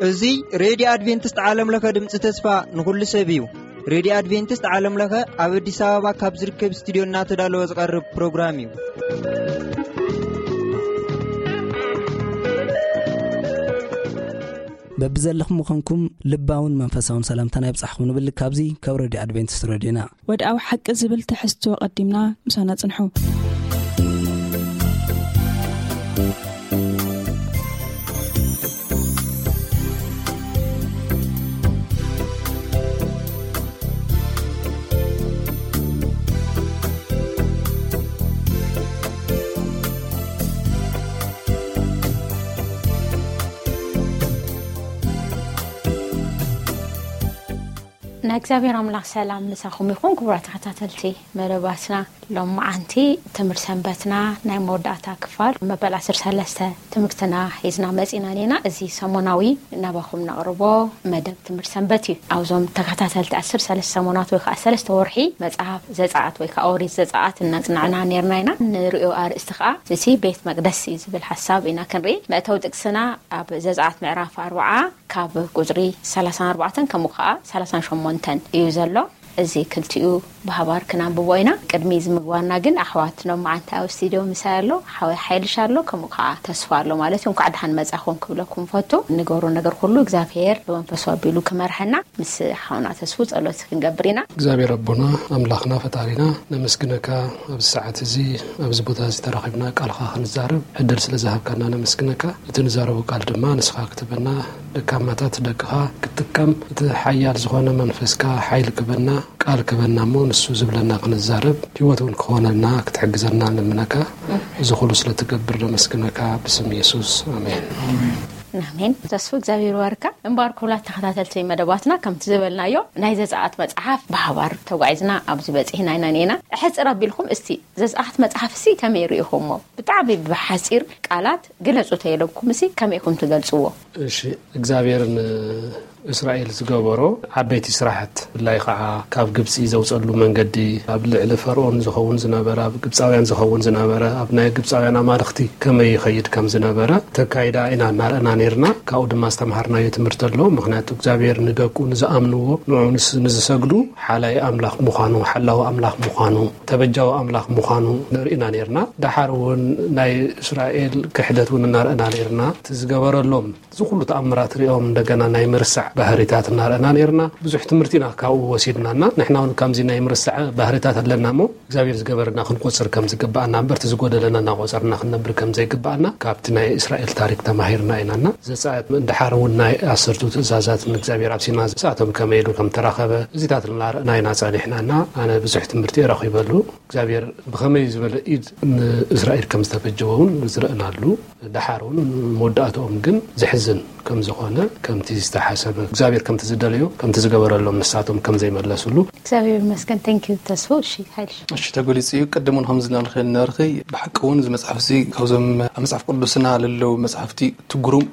እዚ ሬድዮ ኣድቬንቲስት ዓለም ለኸ ድምፂ ተስፋ ንኹሉ ሰብ እዩ። ሬድዮ ኣድቬንቲስት ዓለም ለኸ ኣብ ኣዲስ ኣበባ ካብ ዝርከብ ስቱዲዮ እናተዳለወ ዝቐርብ ፕሮግራም እዩ። በብዘለኹም ምዃንኩም ልባውን መንፈሳውን ሰላምታና ይብጻሕኩም ንብል ካብዚ ካብ ሬድዮ ኣድቬንቲስት ሬድዮና። ወድኣዊ ሓቂ ዝብል ትሕዝቶ ቀዲምና ምሳና ጽንሑ። ናይ እግዚኣብሔር ኣምላኽ ሰላም ምሳኹም ይኹን። ክቡራት ተኸታተልቲ መደባትና፣ ሎም መዓንቲ ትምህርቲ ሰንበትና ናይ መወዳእታ ክፋል መበል ዓሰርተ ሰለስተ ትምህርትና ሒዝና መጺና ኔና። እዚ ሰሞናዊ ናባኹም ነቕርቦ መደብ ትምህርቲ ሰንበት እዩ። ኣብዞም ተኸታተልቲ ዓሰርተ ሰለስተ ሰሞናት ወይ ከዓ ሰለስተ ወርሒ መጽሓፍ ዘጸኣት ወይ ከዓ ኦሪት ዘጸኣት እናጽናዕና ኔርና ኢና። ንርእዮ ኣርእስቲ ከዓ እቲ ቤት መቅደስ እዩ ዝብል ሓሳብ ኢና ክንርኢ። መእተዊ ጥቅስና ኣብ ዘጸኣት ምዕራፍ ኣርብዓ ካብ ቁጽሪ ሰላሳን ኣርባዕተን ከምኡ ከዓ ሰላሳን ሸሞንተን እዩ ዘሎ። እዚ ክልቲኡ ብሃባር ክናንብቦ ኢና። ቅድሚ እዚ ምግባርና ግን ኣሕዋት ሎም መዓንቲ ኣብ ስቱዲዮ ምሳይ ኣሎ፣ ሓወይ ሓይልሽ ኣሎ፣ ከምኡ ከዓ ተስፋ ኣሎ ማለት እዩ። እንኳዕ ደሓን መጻኹም ክብለኩም ፈቱ። ንገብሮ ነገር ኩሉ እግዚኣብሔር ብመንፈሱ ኣቢሉ ክመርሐና ምስ ሓውና ተስፉ ጸሎት ክንገብር ኢና። እግዚኣብሔር ኣቦና ኣምላኽና ፈጣሪና ነመስግነካ፣ ኣብዚ ሰዓት እዚ ኣብዚ ቦታ እዚ ተራኺብና ቃልኻ ክንዛረብ ዕድል ስለ ዝሃብካና ነመስግነካ። እቲ ንዛረቦ ቃል ድማ ንስኻ ክትበና፣ ደካማታት ደቅኻ ክትጥቀም፣ እቲ ሓያል ዝኾነ መንፈስካ ሓይሊ ክበና፣ ቃል ክበና እሞ ንሱ ዝብለና ክንዛረብ፣ ህይወት እውን ክኾነልና ክትሕግዘና ንልምነካ። እዚ ኩሉ ስለ ትገብር ነመስግነካ ብስም የሱስ፣ ኣሜን። ኣሜን። ተስፉ እግዚኣብሔር ይባርካ። እምበኣር ክቡራት ተኸታተልቲ መደባትና ከምቲ ዝበልናዮ ናይ ዘጸኣት መጽሓፍ ብሓባር ተጓዒዝና ኣብዚ በጺሕና ኢና ኔና። ሕጽር ኣቢልኩም እስቲ ዘጸኣት መጽሓፍ ሲ ከመይ ርኢኹሞ? ብጣዕሚ ብሓጺር ቃላት ግለጹ ተይለኩም ሲ ከመይ ኢኹም ትገልጽዎ? እሺ፣ እግዚኣብሔር ንእስራኤል ዝገበሮ ዓበይቲ ስራሕት፣ ብፍላይ ከዓ ካብ ግብፂ ዘውፀሉ መንገዲ፣ ኣብ ልዕሊ ፈርኦን ዝኸውን ዝነበረ፣ ኣብ ግብፃውያን ዝኸውን ዝነበረ፣ ኣብ ናይ ግብፃውያን ኣማልኽቲ ከመይ ይኸይድ ከም ዝነበረ ተካይዳ ኢና እናረእና ነይርና። ካብኡ ድማ ዝተምሃርናዮ ትምህርቲ ኣሎ። ምኽንያቱ እግዚኣብሔር ንደቁ ንዝኣምንዎ፣ ንዕኡ ንስ-፣ ንዝሰግዱ ሓላይ ኣምላኽ ምዃኑ፣ ሓላዊ ኣምላኽ ምዃኑ፣ ተበጃዊ ኣምላኽ ምዃኑ ንርኢና ነይርና። ደሓር እውን ናይ እስራኤል ክሕደት እውን እናረእና ነይርና። እቲ ዝገበረሎም እዚ ኩሉ ተኣምራት ሪኦም እንደገና ናይ ምርሳዕ ባህሪታት እናረእና ነይርና። ብዙሕ ትምህርቲ ኢና ካብኡ ወሲድናና። ንሕና እውን ከምዚ ናይ ምርሳዕ ባህሪታት ኣለና እሞ እግዚኣብሔር ዝገበረና ክንቆጽር ከም ዝግባኣና እምበር እቲ ዝጎደለና እናቆጸርና ክንነብር ከም ዘይግባኣና ካብቲ ናይ እስራኤል ታሪክ ተማሂርና ኢናና። ዘጸኣት ድሓር እውን ናይ ዓሰርቱ ትእዛዛት ንእግዚኣብሔር ኣብ ሲና ዝሰኣቶም ከመይ ኢሉ ከም ተራኸበ እዚታት እናረእና ኢና ጸኒሕናና። ኣነ ብዙሕ ትምህርቲ እየ ረኺበሉ። እግዚኣብሔር ብኸመይ ዝበለ ኢድ ንእስራኤል ከም ዝተበጀወ እውን ዝረእናሉ። ደሓር እውን መወዳእትኦም ግን ዘሕዝን ከም ዝኾነ፣ ከምቲ ዝተሓሰበ እግዚኣብሔር ከምቲ ዝደለዮ ከምቲ ዝገበረሎም ንሳቶም ከም ዘይመለስሉ። እግዚኣብሔር ይመስገን። Thank you ተስፉ። እሺ፣ ሓይልሽ። እሺ፣ ተገሊጹ እዩ። ቅድም እውን ከም ዝለናልኸ ነበርኺ፣ ብሓቂ እውን እዚ መጽሓፍ እዚ ካብዞም ኣብ መጽሓፍ ቅዱስና ለለዉ መጽሓፍቲ ትጉሩም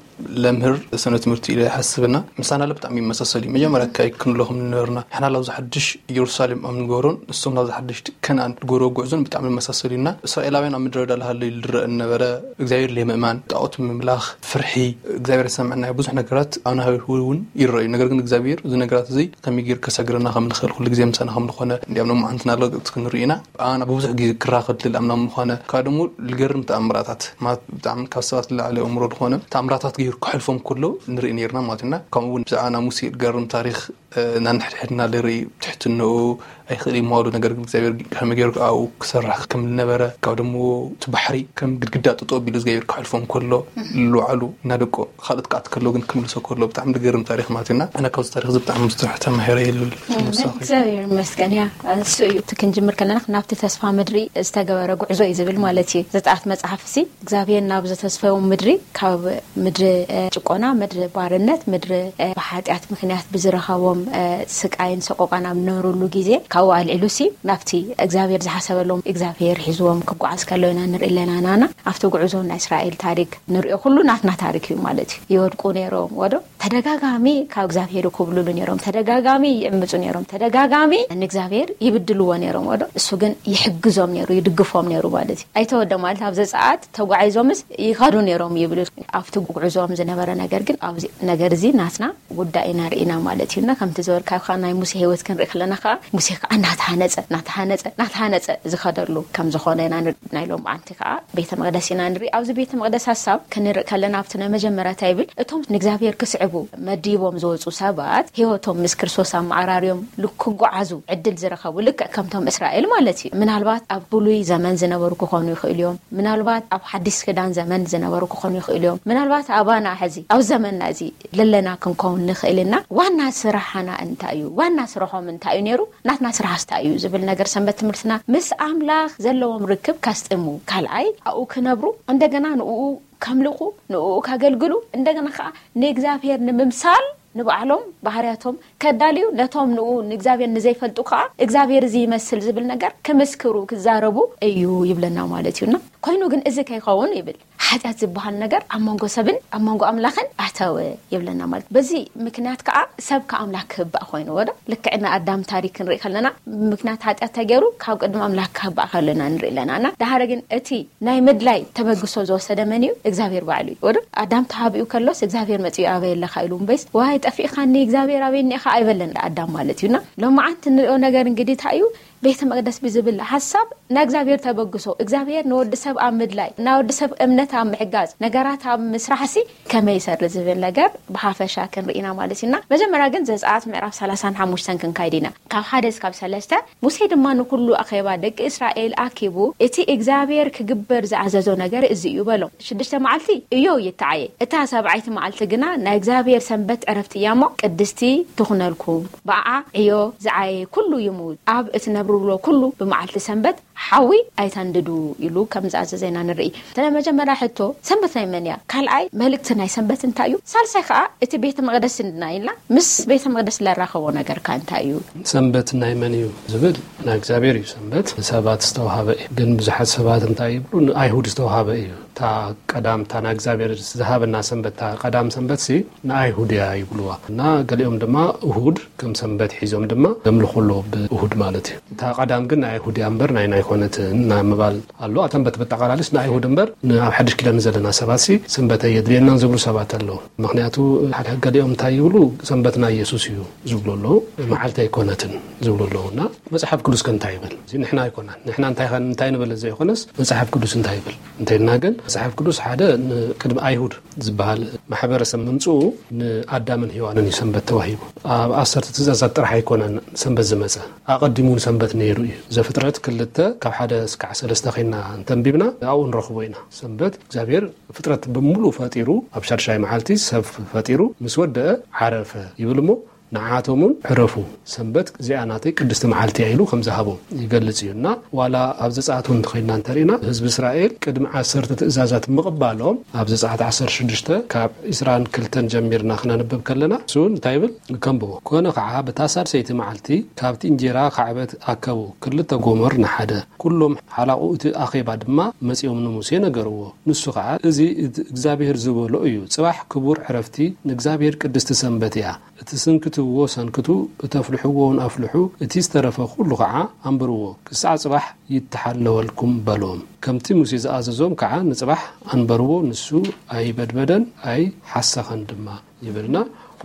ለምህር ሰነ ትምህርቲ ኢለ ይሓስብና። ምሳና ለ ብጣዕሚ ይመሳሰል እዩ። መጀመርያ ካይ ክንብሎ ከም ዝነበርና፣ ንሕና ላብዚ ሓድሽ ኢየሩሳሌም ኣብ ንገብሮን ንሶም ላብዚ ሓድሽ ከነኣን ዝገብርዎ ጉዕዞን ብጣዕሚ ይመሳሰል እዩና። እስራኤላውያን ኣብ ምድረ በዳ ላሃለዩ ዝረአ ዝነበረ እግዚኣብሔር ለምእማን፣ ጣዖት ምምላኽ፣ ፍርሒ፣ እግዚኣብሔር ዝሰምዐና ብዙሕ ነገራት ኣብ ናህዊ እውን ይረኣዩ። ነገር ግን እግዚኣብሔር እዚ ነገራት እዚ ከመይ ገይሩ ከሳግረና ከም ንኽእል ኩሉ ግዜ ምሳና ከም ዝኾነ እንዲያም ሎማዓንትና ርግጽ ክንርኢ ኢና። ኣና ብብዙሕ ግዜ ክራኸብ ልል ኣምላኽ ምዃነ፣ ካብ ደሞ ልገርም ተኣምራታት፣ ማለት ብጣዕሚ ካብ ሰባት ዝለዓለ ኣእምሮ ዝኾነ ተኣምራታት ገይሩ ክሕልፎም ከሎ ንርኢ ነይርና ማለት ኢና። ከምኡ እውን ብዛዕባ ናይ ሙሴ ልገርም ታሪኽ፣ እ፣ ናንሕድሕድና ልርኢ ትሕትንኡ ኣይኽእል እዩ ምባሉ፣ ነገር ግን እግዚኣብሔር ከመይ ገይሩ ኣብኡ ክሰርሕ ከም ዝነበረ፣ ካብ ደሞ እቲ ባሕሪ ከም ግድግዳ ጠጠው ኣቢሉ እግዚኣብሔር ክሕልፎም ከሎ፣ ልዋዕሉ እናደቆ ካልኦት ክኣት ከሎ ግን ክምልሶ ከሎ ብጣዕሚ ዝገርም ታሪኽ ማለት ኢና። ኣነ ካብዚ ታሪኽ እዚ ብጣዕሚ ብዙሕ ተማሂረ እየ ልብል። ንሳኺ? እግዚኣብሔር ይመስገን። ያ፣ እሱ እዩ። እቲ ክንጅምር ከለና ናብቲ ተስፋ ምድሪ ዝተገበረ ጉዕዞ እዩ ዝብል ማለት እዩ። ዘጸኣት መጽሓፍ እሲ እግዚኣብሔር ናብ ዝተስፈው ምድሪ ካብ ምድሪ፣ እ፣ ጭቆና፣ ምድሪ ባርነት፣ ምድሪ፣ እ፣ ብሓጢኣት ምኽንያት ብዝረኸቦም ስቃይን ሰቆቃን ኣብ ዝነበረሉ ግዜ ካብኡ ኣልዒሉ ሲ ናብቲ እግዚኣብሔር ዝሓሰበሎም እግዚኣብሔር ሒዝዎም ክጓዓዝ ከሎ ኢና ንርኢ ኣለና። ናና ኣብቲ ጉዕዞ ናይ እስራኤል ታሪክ ንሪኦ ኩሉ ናትና ታሪክ እዩ ማለት እዩ። ይወድቁ ነይሮም ወዶ ተደጋጋሚ ካብ እግዚኣብሔር ይኩብልሉ ነይሮም፣ ተደጋጋሚ ይዕምፁ ነይሮም፣ ተደጋጋሚ ንእግዚኣብሔር ይብድልዎ ነይሮም ወዶ እሱ ግን ይሕግዞም ነይሩ፣ ይድግፎም ነይሩ ማለት እዩ። ኣይተወደ ማለት ኣብ ዘፀኣት ተጓዒዞምስ ይኸዱ ነይሮም ይብል። ኣብቲ ጉዕዞም ዝነበረ ነገር ግን ኣብዚ ነገር እዚ ናትና ጉዳይ ኢና ርኢና ማለት እዩ። እና ከምቲ ዝበልካ ከዓ ናይ ሙሴ ህይወት ክንርኢ ከለና ከዓ ሙሴ ከዓ እናተሃነፀ እናተሃነፀ እናተሃነፀ ዝኸደሉ ከም ዝኾነ ኢና ንርኢ። ናይ ሎም ዓንቲ ከዓ ቤተ መቅደስ ኢና ንርኢ። ኣብዚ ቤተ መቅደስ ሀሳብ ክንርኢ ከለና ኣብቲ ናይ መጀመርያ እንታይ ይብል? እቶም ንእግዚኣብሔር ክስዕቡ መዲቦም ዝወፁ ሰባት ህይወቶም ምስ ክርስቶስ ኣመዓራርዮም ክጓዓዙ ዕድል ዝረኸቡ ልክዕ ከምቶም እስራኤል ማለት እዩ። ምናልባት ኣብ ብሉይ ዘመን ዝነበሩ ክኾኑ ይኽእሉ እዮም። ምናልባት ኣብ ሓዲስ ክዳን ዘመን ዝነበሩ ክኾኑ ይኽእሉ እዮም። ምናልባት ኣባና ሕዚ ኣብ ዘመንና እዚ ለለና ክንከውን ንኽእል ኢና። ዋና ስራሕና እንታይ እዩ? ዋና ስራሖም እንታይ እዩ ነይሩ? ናትና ስራሕስ እንታይ እዩ ዝብል ነገር ሰንበት ትምህርትና ምስ ኣምላኽ ዘለዎም ርክብ ከስጥሙ፣ ካልኣይ ኣብኡ ክነብሩ፣ እንደገና ንኡ ከምልኹ፣ ንኡ ከገልግሉ፣ እንደገና ከዓ ንእግዚኣብሔር ንምምሳል ንባዕሎም ባህርያቶም ከዳልዩ፣ ነቶም ንኡ ንእግዚኣብሔር ንዘይፈልጡ ከዓ እግዚኣብሔር እዚ ይመስል ዝብል ነገር ክምስክሩ ክዛረቡ እዩ ይብለና ማለት እዩና። ኮይኑ ግን እዚ ከይኸውን ይብል ሓጢኣት ዝበሃል ነገር ኣብ መንጎ ሰብን ኣብ መንጎ ኣምላኽን ኣተወ ይብለና ማለት። በዚ ምክንያት ከዓ ሰብ ከኣምላክ ክህባእ ኮይኑ ወዶ ልክዕና ኣዳም ታሪክ ክንርኢ ከለና ምክንያት ሓጢኣት ተገይሩ ካብ ቅድሚ ኣምላክ ክህባእ ከለና ንርኢ ኣለና። እና ደሓረ ግን እቲ ናይ ምድላይ ተበግሶ ዝወሰደ መን እዩ? እግዚኣብሔር ባዕሉ እዩ። ወዶ ኣዳም ተሃቢኡ ከሎስ እግዚኣብሔር መፂኡ ኣበይ ኣለካ ኢሉ እምበይስ ዋይ ጠፊእካኒ እግዚኣብሔር ኣበይ እኒኢኻ ኣይበለን ኣዳም ማለት እዩና። ሎማዓንቲ ንሪኦ ነገር እንግዲህ እንታይ እዩ? ቤተ መቅደስ ብዝብል ሓሳብ ናይ እግዚኣብሔር ተበግሶ እግዚኣብሔር ንወዲ ሰብ ኣብ ምድላይ ናይ ወዲ ሰብ እምነት ኣብ ምሕጋዝ ነገራት ኣብ ምስራሕ ሲ ከመይ ይሰሪ ዝብል ነገር ብሓፈሻ ክንርኢና ማለት እዩና። መጀመርያ ግን ዘፀኣት ምዕራፍ ሰላሳን ሓሙሽተን ክንካይድ ኢና ካብ ሓደ እስካብ ሰለስተ። ሙሴ ድማ ንኩሉ ኣኼባ ደቂ እስራኤል ኣኪቡ እቲ እግዚኣብሔር ክግበር ዝኣዘዞ ነገር እዚ እዩ በሎም። ሽዱሽተ መዓልቲ እዮ ይተዓየ፣ እታ ሰብዓይቲ መዓልቲ ግና ናይ እግዚኣብሔር ሰንበት ዕረፍቲ እያ እሞ ቅድስቲ ትኹነልኩም። ብኣዓ ዕዮ ዝዓየ ኩሉ ይሙት፣ ኣብ እትነብርብሎ ኩሉ ብመዓልቲ ሰንበት ሓዊ ኣይተንድዱ ኢሉ ከም ዝኣዘዘ ኢና ንርኢ። እቲ ናይ መጀመርያ ሕቶ ሰንበት ናይ መን እያ? ካልኣይ መልእክቲ ናይ ሰንበት እንታይ እዩ? ሳልሳይ ከዓ እቲ ቤተ መቅደስ እንድና ኢልና ምስ ቤተ መቅደስ ለራኸቦ ነገር ከ እንታይ እዩ? ሰንበት ናይ መን እዩ ዝብል ናይ እግዚኣብሔር እዩ። ሰንበት ንሰባት ዝተዋሃበ እዩ። ግን ብዙሓት ሰባት እንታይ ይብሉ ንኣይሁድ ዝተዋሃበ እዩ። እታ ቀዳም እታ ናይ እግዚኣብሔር ዝሃበና ሰንበት እታ ቀዳም ሰንበት ሲ ንኣይሁድ እያ ይብልዋ። እና ገሊኦም ድማ እሁድ ከም ሰንበት ሒዞም ድማ ዘምልኹ ኣለዉ ብእሁድ ማለት እዩ። እታ ቀዳም ግን ናይ ኣይሁድ እያ እምበር ናይና ኣይኮነትን እና ምባል ኣሎ። ሰንበት በጠቓላሊስ ንኣይሁድ እምበር ን- ኣብ ሓድሽ ኪዳን ዘለና ሰባት ሲ ሰንበት ኣየድልየናን ዝብሉ ሰባት ኣለዉ። ምክንያቱ ሓደ ገሊኦም እንታይ ይብሉ ሰንበት ናይ የሱስ እዩ ዝብሉ ኣለዉ። መዓልቲ ኣይኮነትን ዝብሉ ኣለዉ። እና መጽሓፍ ቅዱስ ከ እንታይ ይብል? እዚ ንሕና ኣይኮናን። ንሕና እንታይ ከ- እንታይ ንብል ዘይኮነስ መጽሓፍ ቅዱስ እንታይ ይብል እንተይልና ግን መጽሓፍ ቅዱስ ሓደ ን- ቅድሚ ኣይሁድ ዝበሃል ማሕበረሰብ ምምጽኡ ንኣዳምን ሔዋንን እዩ ሰንበት ተዋሂቡ። ኣብ ዓሰርተ ትእዛዛት ጥራሕ ኣይኮነን ሰንበት ዝመጸ፣ ኣቐዲሙ እውን ሰንበት ነይሩ እዩ። ዘፍጥረት ክልተ ካብ ሓደ እስካዕ ሰለስተ ኮይና እንተንቢብና ኣብኡ ንረኽቦ ኢና። ሰንበት እግዚኣብሔር ፍጥረት ብምሉእ ፈጢሩ ኣብ ሻድሻይ መዓልቲ ሰብ ፈጢሩ ምስ ወደአ ዓረፈ ይብል እሞ ንዓቶም እውን ዕረፉ፣ ሰንበት እዚኣ ናተይ ቅድስቲ መዓልቲ እያ ኢሉ ከም ዝሃቦም ይገልጽ እዩ። እና ዋላ ኣብ ዘጸኣት እውን እንተኸይድና እንተርኢና ህዝቢ እስራኤል ቅድሚ ዓሰርተ ትእዛዛት ምቕባሎም ኣብ ዘጸኣት ዓሰርተ ሽዱሽተ ካብ ዕስራን ክልተን ጀሚርና ክነንብብ ከለና እሱ እውን እንታይ ይብል ከንብቦ። ኮነ ከዓ በታ ሳድሰይቲ መዓልቲ ካብቲ እንጀራ ካዕበት ኣከቡ ክልተ ጎመር ንሓደ ኩሎም ሓላቑ እቲ ኣኼባ ድማ መጺኦም ንሙሴ ነገርዎ። ንሱ ኸዓ እዚ እቲ እግዚኣብሔር ዝበሎ እዩ። ጽባሕ ክቡር ዕረፍቲ ንእግዚኣብሔር ቅድስቲ ሰንበት እያ። እቲ ስንክትዎ ሰንክቱ፣ እተፍልሕዎ እውን ኣፍልሑ፣ እቲ ዝተረፈ ኩሉ ኸዓ ኣንብርዎ፣ ክሳዕ ጽባሕ ይተሓለወልኩም በሎም። ከምቲ ሙሴ ዝኣዘዞም ከዓ ንጽባሕ ኣንበርዎ፣ ንሱ ኣይበድበደን ኣይሓሰኸን ድማ ይብልና።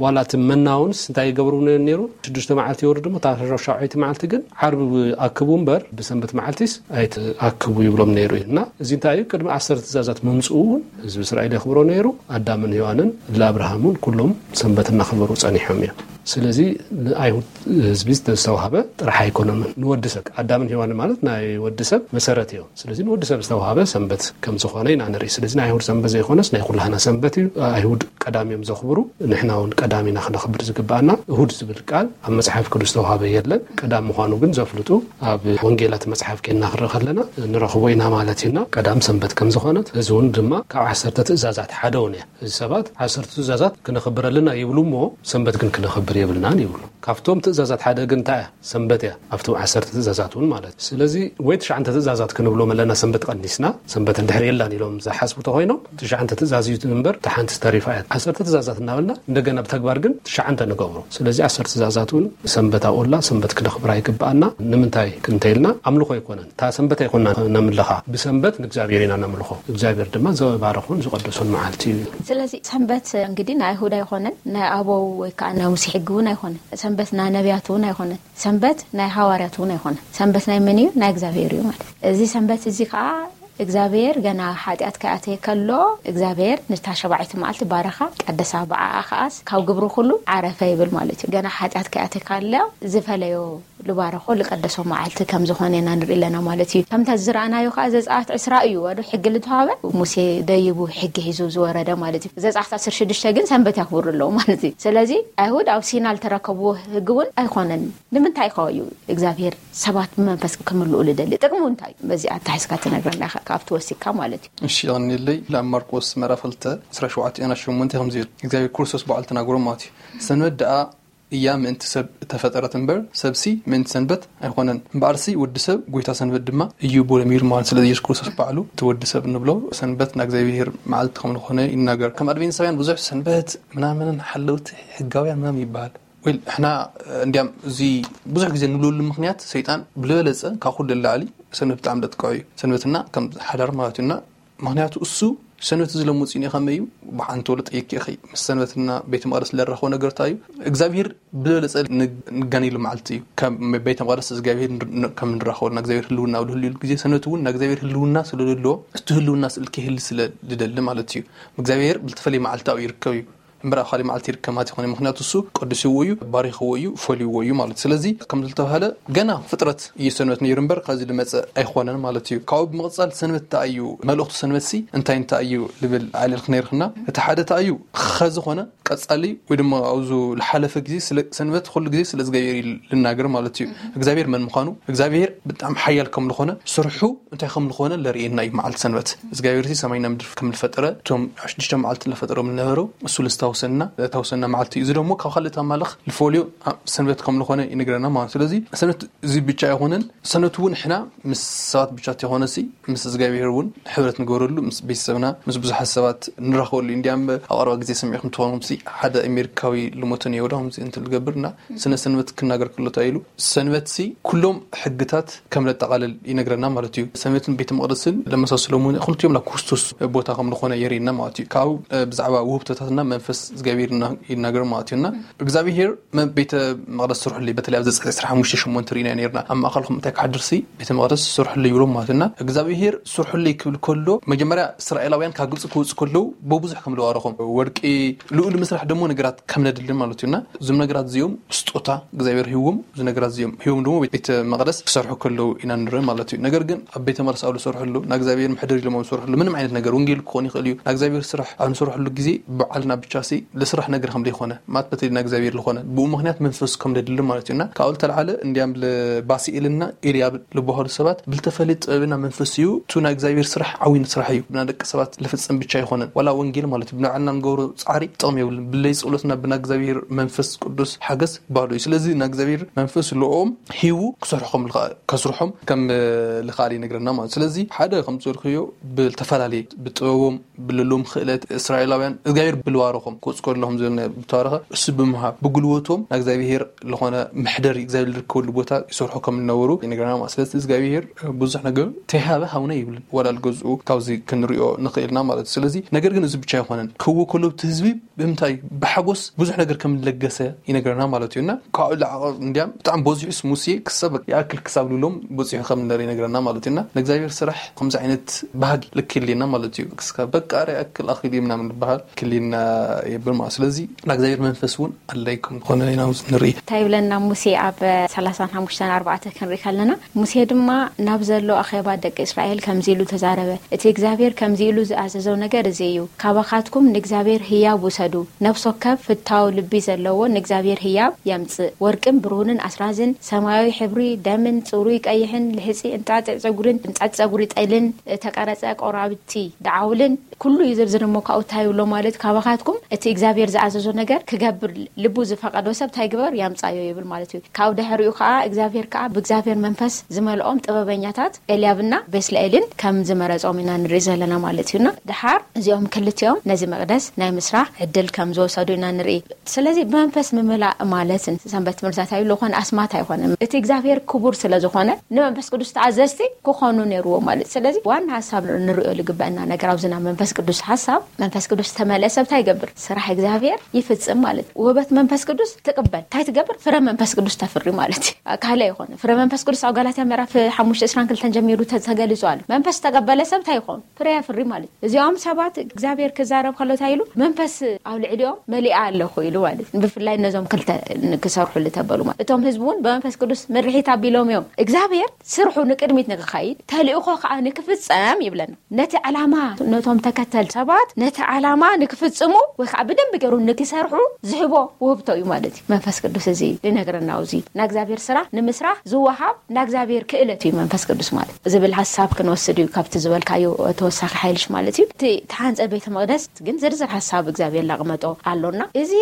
ዋላ እቲ መና እውንስ እንታይ ይገብሩ ነይሩ? ሽዱሽተ መዓልቲ ይወርድ እሞ እታ ሻውዓይቲ መዓልቲ ግን ዓርቢ ኣክቡ እምበር ብሰንበት መዓልቲስ ኣይትኣክቡ ይብሎም ነይሩ እዩ። እና እዚ እንታይ እዩ? ቅድሚ ዓሰርተ ትእዛዛት ምምፅኡ እውን ህዝቢ እስራኤል የኽብሮ ነይሩ። ኣዳምን ሔዋንን ለኣብርሃም እውን ኩሎም ሰንበት እናኸበሩ ፀኒሖም እዮም። ስለዚ ንኣይሁድ ህዝቢ ዝተዋሃበ ጥራሕ ኣይኮነምን፣ ንወዲ ሰብ ኣዳምን ሔዋንን ማለት ናይ ወዲ ሰብ መሰረት እዮም። ስለዚ ንወዲ ሰብ ዝተዋሃበ ሰንበት ከም ዝኾነ ኢና ንርኢ። ስለዚ ናይ ኣይሁድ ሰንበት ዘይኮነስ ናይ ኩላህና ሰንበት እዩ። ኣይሁድ ቀዳም እዮም ዘኽብሩ፣ ንሕና እውን ቀዳም ኢና ክነኽብር ዝግባኣና። እሁድ ዝብል ቃል ኣብ መጽሓፍ ቅዱስ ዝተዋሃበ የለን። ቀዳም ምዃኑ ግን ዘፍልጡ ኣብ ወንጌላት መጽሓፍ ኬና ክርኢ ከለና ንረኽቦ ኢና ማለት እዩና። ቀዳም ሰንበት ከም ዝኾነት እዚ እውን ድማ ካብ ዓሰርተ ትእዛዛት ሓደ እውን እያ። እዚ ሰባት ዓሰርተ ትእዛዛት ክነኽብር ኣለና ይብሉ እሞ ሰንበት ግን ክነኽብር የብልናን ይብሉ። ካብቶም ትእዛዛት ሓደ ግን እንታይ እያ? ሰንበት እያ። ኣብቶም ዓሰርተ ትእዛዛት እውን ማለት እዩ። ስለዚ ወይ ትሽዓንተ ትእዛዛት ክንብሎም ኣለና፣ ሰንበት ቀኒስና፣ ሰንበት እንድሕር የላን ኢሎም ዝሓስቡ ተኮይኖም፣ ትሽዓንተ ትእዛዝ እዩ እምበር፣ እታ ሓንቲ ተሪፋ እያ። ዓሰርተ ትእዛዛት እናበልና እንደገና ብተግባር ግን ትሽዓንተ ንገብሮ። ስለዚ ዓሰርተ ትእዛዛት እውን ሰንበት ኣብኡላ፣ ሰንበት ክነኽብራ ይግብኣና። ንምንታይ ክንተይልና ኣምልኾ ኣይኮነን። እታ ሰንበት ኣይኮና ነምልኻ፣ ብሰንበት ንእግዚኣብሔር ኢና ነምልኾ። እግዚኣብሔር ድማ ዘባረኹን ዝቐደሱን መዓልቲ እዩ። ስለዚ ሰንበት እንግዲህ ናይ ኣይሁድ ኣይኮነን፣ ናይ ኣበው ወይ ከዓ ናይ ሙሴ ሕጊ እውን ኣይኮነን። ሰንበት ናይ ነቢያት እውን ኣይኮነን። ሰንበት ናይ ሃዋርያት እውን ኣይኮነን። ሰንበት ናይ መን እዩ? ናይ እግዚኣብሔር እዩ ማለት እዩ። እዚ ሰንበት እዚ ከዓ እግዚኣብሔር ገና ሓጢኣት ከይኣተየ ከሎ እግዚኣብሔር ንታ ሸባዒቲ መዓልቲ ባረኻ፣ ቀደሳ፣ ብዓኣ ከኣስ ካብ ግብሩ ኩሉ ዓረፈ ይብል ማለት እዩ። ገና ሓጢኣት ከይኣተየ ከሎ ዝፈለዮ፣ ልባረኾ፣ ልቀደሶ መዓልቲ ከም ዝኾነ ኢና ንርኢ ኣለና ማለት እዩ። ከምታ ዝረኣናዮ ከዓ ዘፀኣት ዕስራ እዩ ወዶ ሕጊ ልተዋበ፣ ሙሴ ደይቡ ሕጊ ሒዙ ዝወረደ ማለት እዩ። ዘፀኣት ዓሰርተ ሽዱሽተ ግን ሰንበት ያክብሩ ኣለዉ ማለት እዩ። ስለዚ ኣይሁድ ኣብ ሲና ልተረከብዎ ሕጊ እውን ኣይኮነን። ንምንታይ ከ እዩ እግዚኣብሔር ሰባት ብመንፈስ ክምልኡ ልደሊ? ጥቅሙ እንታይ እዩ? በዚ ኣታሒዝካ ትነግረና ኢኻ፣ ካብቲ ወሲካ ማለት እዩ። እሺ፣ ይቐንየለይ። ናብ ማርቆስ ምዕራፍ ክልተ ዕስራ ሸውዓተ ሸሞንተ ከምዚ ይብል፣ እግዚኣብሔር ክርስቶስ ባዕሉ ተናግሮ ማለት እዩ። ሰንበት ደኣ እያ ምእንቲ ሰብ እተፈጠረት እምበር፣ ሰብሲ ምእንቲ ሰንበት ኣይኮነን። እምበኣርሲ ወዲ ሰብ ጎይታ ሰንበት ድማ እዩ ብሎ ሚሩ ማለት። ስለዚ ኢየሱስ ክርስቶስ ባዕሉ እቲ ወዲ ሰብ እንብሎ ሰንበት ናይ እግዚኣብሔር መዓልቲ ከም ዝኾነ ይናገር። ከም ኣድቬንቲስታውያን ብዙሕ ሰንበት ምናምንን ሓለውቲ ሕጋውያን ምናምን ይበሃል። ወይ ሕና እንዲያም እዚ ብዙሕ ግዜ ንብለሉ ምክንያት ሰይጣን ብልበለፀ ካብ ኩሉ ላዕሊ ሰንበት ብጣዕሚ ለጥቀዑ እዩ። ሰንበትና ከም ሓዳር ማለት እዩና። ምክንያቱ እሱ ሰንበት እዚ ለመፅኡ ከመይ እዩ? ብሓንቲ ወለ ጠይቅ ኢኺ። ምስ ሰንበትና ቤተ መቅደስ ለራኸቦ ነገር እንታይ እዩ? እግዚኣብሔር ብለለፀ ንጋኒሉ መዓልቲ እዩ። ከም ቤተ መቅደስ እግዚኣብሔር ከም ንራኸቦ፣ ንእግዚኣብሔር ህልውና ኣብ ልህልዩሉ ግዜ ሰንበት እውን ንእግዚኣብሔር ህልውና ስለልለዎ፣ እቲ ህልውና ስእል ክህል ስለ ልደሊ ማለት እዩ። እግዚኣብሔር ብልተፈለየ መዓልቲ ኣብኡ ይርከብ እዩ። እምበር ኣብ ካልእ መዓልቲ ይርከብ ማለት ይኾነ። ምክንያቱ እሱ ቀዲስዎ እዩ፣ ባሪኽዎ እዩ፣ ፈልይዎ እዩ ማለት። ስለዚ ከም ዝተባህለ ገና ፍጥረት እዩ ሰንበት ነይሩ እምበር ካብዚ ዝመፀ ኣይኾነን ማለት እዩ። ካብኡ ብምቕፃል ሰንበት እንታይ እዩ? መልእኽቱ ሰንበት ሲ እንታይ እንታይ እዩ ልብል ዓለል ክነይርክና። እቲ ሓደ እንታይ እዩ? ከዝኾነ ቀፃሊ ወይ ድማ ኣብዙ ዝሓለፈ ግዜ ስለ ሰንበት ኩሉ ግዜ ስለ እግዚኣብሔር እዩ ልናገር ማለት እዩ። እግዚኣብሔር መን ምዃኑ፣ እግዚኣብሔር ብጣዕሚ ሓያል ከም ዝኾነ፣ ስርሑ እንታይ ከም ዝኾነ ለርእየና እዩ መዓልቲ ሰንበት። እግዚኣብሔር ሲ ሰማይና ምድር ከም ዝፈጠረ፣ እቶም ሽዱሽተ መዓልቲ ለፈጠሮም ዝነበሩ እሱ ልስታውሰና፣ ታውሰና መዓልቲ እዩ። እዚ ደግሞ ካብ ካልእ ኣማልኽ ልፈልዮ ሰንበት ከም ዝኾነ ይነግረና ማለት። ስለዚ ሰንበት እዚ ብቻ ኣይኮነን። ሰንበት እውን ንሕና ምስ ሰባት ብቻ ተይኮነሲ ምስ እግዚኣብሔር እውን ሕብረት ንገብረሉ፣ ምስ ቤተሰብና፣ ምስ ብዙሓት ሰባት ንራኸበሉ። እንዲያም ኣብ ቀረባ ግዜ ሰሚዕኩም ትኾኑም ሲ ሓደ ኣሜሪካዊ ልሞተ ነይሩ ከምዚ እንትን ልገብር እና ስነ ሰንበት ክናገር ከሎ እንታይ ኢሉ፣ ሰንበት ሲ ኩሎም ሕግታት ከም ለጠቓልል ይነግረና ማለት እዩ። ሰንበትን ቤተ መቕደስን ለመሳስሎም እውን ክልቲኦም ናብ ክርስቶስ ቦታ ከም ዝኾነ የርእየና ማለት እዩ። ካብ ብዛዕባ ውህብቶታትና መንፈስ እግዚኣብሔር ይናገር ማለት እዩ። እና እግዚኣብሔር ቤተ መቕደስ ስርሑለይ፣ በተለይ ኣብ ዘጸአት ዕስራን ሓሙሽተን ሸሞንተን ርኢና ነርና። ኣብ ማእከልኩም እንታይ ክሓድር ሲ ቤተ መቕደስ ስርሑለይ ይብሎም ማለት እዩ። እና እግዚኣብሔር ስርሑለይ ክብል ከሎ መጀመርያ እስራኤላውያን ካብ ግብጺ ክወጹ ከለዉ ብብዙሕ ከም ዝባረኾም፣ ወርቂ፣ ልኡል ምስራሕ ደሞ ነገራት ከም ነድሊ ማለት እዩ። እና እዞም ነገራት እዚኦም ስጦታ እግዚኣብሔር ሂዎም፣ እዚ ነገራት እዚኦም ሂዎም ደሞ ቤተ መቕደስ ክሰርሑ ከለዉ ኢና ንርኢ ማለት እዩ። ነገር ግን ኣብ ቤተ መቕደስ ኣብ ዝሰርሕሉ፣ ንእግዚኣብሔር መሕደሪ ኢሎም ኣብ ዝሰርሕሉ ምንም ዓይነት ነገር ወንጌል ክኾን ይኽእል እዩ። ንእግዚኣብሔር ስራሕ ኣብ ንሰርሕሉ ግዜ ባዕልና ብቻ ሲ ልስራሕ ነገር ከም ዘይኮነ፣ ማለት በተለይ ንእግዚኣብሔር ዝኾነ ብኡ ምኽንያት መንፈስ ከም ዘድሊ ማለት እዩ። እና ካብኡ ዝተልዓለ እንዲያም ልባስኤልና ኤልያብ ልበሃሉ ሰባት ብልተፈለየ ጥበብና መንፈስ እዩ። እቱ ናይ እግዚኣብሔር ስራሕ ዓዊን ስራሕ እዩ። ብና ደቂ ሰባት ልፍጽም ብቻ ኣይኮነን። ዋላ ወንጌል ማለት እዩ። ብናዕልና ንገብሮ ጻዕሪ ጥቕሚ የብሉን። ብለይ ጸሎትና ብና እግዚኣብሔር መንፈስ ቅዱስ ሓገዝ ባዶ እዩ። ስለዚ ናይ እግዚኣብሔር መንፈስ ልኦም ሂቡ ክሰርሖም ልኸ-፣ ከስርሖም ከም ልኸኣል ይነግረና ማለት። ስለዚ ሓደ ከም ዝበልክዮ ብልተፈላለየ ብጥበቦም ብልሎም ክእለት እስራኤላውያን እግዚኣብሔር ብልባረኾም ክወጽእ ከለኹም ዝብል ናይ ብተባረኸ እሱ ብምሃብ ብጉልበቶም ናይ እግዚኣብሔር ዝኾነ መሕደሪ እግዚኣብሔር ዝርከበሉ ቦታ ይሰርሑ ከም ዝነበሩ ይነግረና ማለት። ስለዚ እግዚኣብሔር ብዙሕ ነገር ተይሃበ ሃውነ ይብልን። ዋላ ልገዝኡ ካብዚ ክንሪኦ ንኽእልና ማለት እዩ። ስለዚ ነገር ግን እዚ ብቻ ኣይኮነን። ክህቦ ከሎ እቲ ህዝቢ ብምንታይ ብሓጎስ ብዙሕ ነገር ከም ዝለገሰ ይነግረና ማለት እዩ። እና ካብኡ ላዕሊ እንዲያም ብጣዕሚ በዚሑስ ሙሴ ክሳብ ይኣክል ክሳብ ልብሎም በፂሑ ከም ዝነበረ ይነግረና ማለት እዩ። እና ንእግዚኣብሔር ስራሕ ከምዚ ዓይነት ባህጊ ልክልየና ማለት እዩ። ክስካ በቃ ረ ይኣክል ኣኽል እዩ ምናምን ዝበሃል ክልየና የብል ማለት። ስለዚ ንእግዚኣብሔር መንፈስ እውን ኣለይ ከም ዝኾነ ኢና ንርኢ። እንታይ ይብለና ሙሴ ኣብ ሰላሳን ሓሙሽተን ኣርባዕተ ክንርኢ ከለና፣ ሙሴ ድማ ናብ ዘሎ ኣኼባ ደቂ እስራኤል ከምዚ ኢሉ ተዛረበ፣ እቲ እግዚኣብሔር ከምዚ ኢሉ ዝኣዘዞ ነገር እዚ እዩ፣ ካባኻትኩም ንእግዚኣብሔር ህያብ ውሰዱ፣ ነፍሲ ወከፍ ፍታው ልቢ ዘለዎ ንእግዚኣብሔር ህያብ የምጽእ፣ ወርቅን ብሩርን ኣስራዝን፣ ሰማያዊ ሕብሪ፣ ደምን ጽሩይ ቀይሕን ልሕጺ እንጣጢዕ ጸጉርን እንጣጢዕ ጸጉሪ ጠልን፣ እተቐረጸ ቆራብቲ ደዓውልን፣ ኩሉ እዩ ዝርዝር እሞ ካብኡ እንታይ ይብሎ ማለት ካባኻትኩም እቲ እግዚኣብሔር ዝኣዘዞ ነገር ክገብር ልቡ ዝፈቐዶ ሰብ እንታይ ግበር? ያምጻዮ ይብል ማለት እዩ። ካብ ድሕሪኡ ከዓ እግዚኣብሔር ከዓ ብእግዚኣብሔር መንፈስ ዝመልኦም ጥበበኛታት ኤልያብና ቤስልኤልን ከም ዝመረጾም ኢና ንርኢ ዘለና ማለት እዩና፣ ድሓር እዚኦም ክልቲኦም ነዚ መቕደስ ናይ ምስራሕ ዕድል ከም ዝወሰዱ ኢና ንርኢ። ስለዚ ብመንፈስ ምምላእ ማለት ሰንበት ትምህርትታት ኣይብሉ ኮነ ኣስማት ኣይኮነ፣ እቲ እግዚኣብሔር ክቡር ስለ ዝኾነ ንመንፈስ ቅዱስ ተኣዘዝቲ ክኾኑ ነይርዎ ማለት። ስለዚ ዋና ሓሳብ ንርእዮ ዝግበአና ነገር ኣብዚ ናይ መንፈስ ቅዱስ ሓሳብ፣ መንፈስ ቅዱስ ዝተመልአ ሰብ እንታይ ይገብር? ስራሕ እግዚኣብሔር ይፍጽም ማለት። ውህበት መንፈስ ቅዱስ ትቕበል እንታይ ትገብር? ፍረ መንፈስ ቅዱስ ተፍሪ ማለት እዩ። ካልእ ኣይኮነ። ፍረ መንፈስ ቅዱስ ኣብ ጋላትያ ምዕራፍ ሓሙሽተ ዕስራን ክልተን ጀሚሩ ተ- ተገሊጹ ኣሎ። መንፈስ ዝተቐበለ ሰብ እንታይ ይኾኑ? ፍረ የፍሪ ማለት። እዚኦም ሰባት እግዚኣብሔር ክዛረብ ከሎ እንታይ ኢሉ? መንፈስ ኣብ ልዕሊኦም መሊኣ ኣለኹ ኢሉ ማለት። ብፍላይ ነዞም ክልተ ክሰርሑ ልተበሉ ማለት፣ እቶም ህዝቢ እውን ብመንፈስ ቅዱስ ምርሒት ኣቢሎም እዮም። እግዚኣብሔር ስርሑ ንቅድሚት ንክኸይድ፣ ተልእኾ ከዓ ንክፍጸም ይብለና። ነቲ ዓላማ፣ ነቶም ተከተል ሰባት ነቲ ዓላማ ንክፍጽሙ ወይ ከዓ ብደንብ ገይሩ ንክሰርሑ ዝህቦ ውህብቶ እዩ ማለት እዩ። መንፈስ ቅዱስ እዚ ዝነግረና፣ እዚ ናይ እግዚኣብሔር ስራሕ ንምስራሕ ዝወሃብ ናይ እግዚኣብሔር ክእለት እዩ መንፈስ ቅዱስ ማለት ዝብል ሓሳብ ክንወስድ እዩ ካብቲ ዝበልካዮ ተወሳኺ ሓይልሽ ማለት እዩ። እቲ ተሓንጸ ቤተ መቕደስ ግን ዝርዝር ሓሳብ እግዚኣብሔር ላቕመጦ ኣሎና። እዚ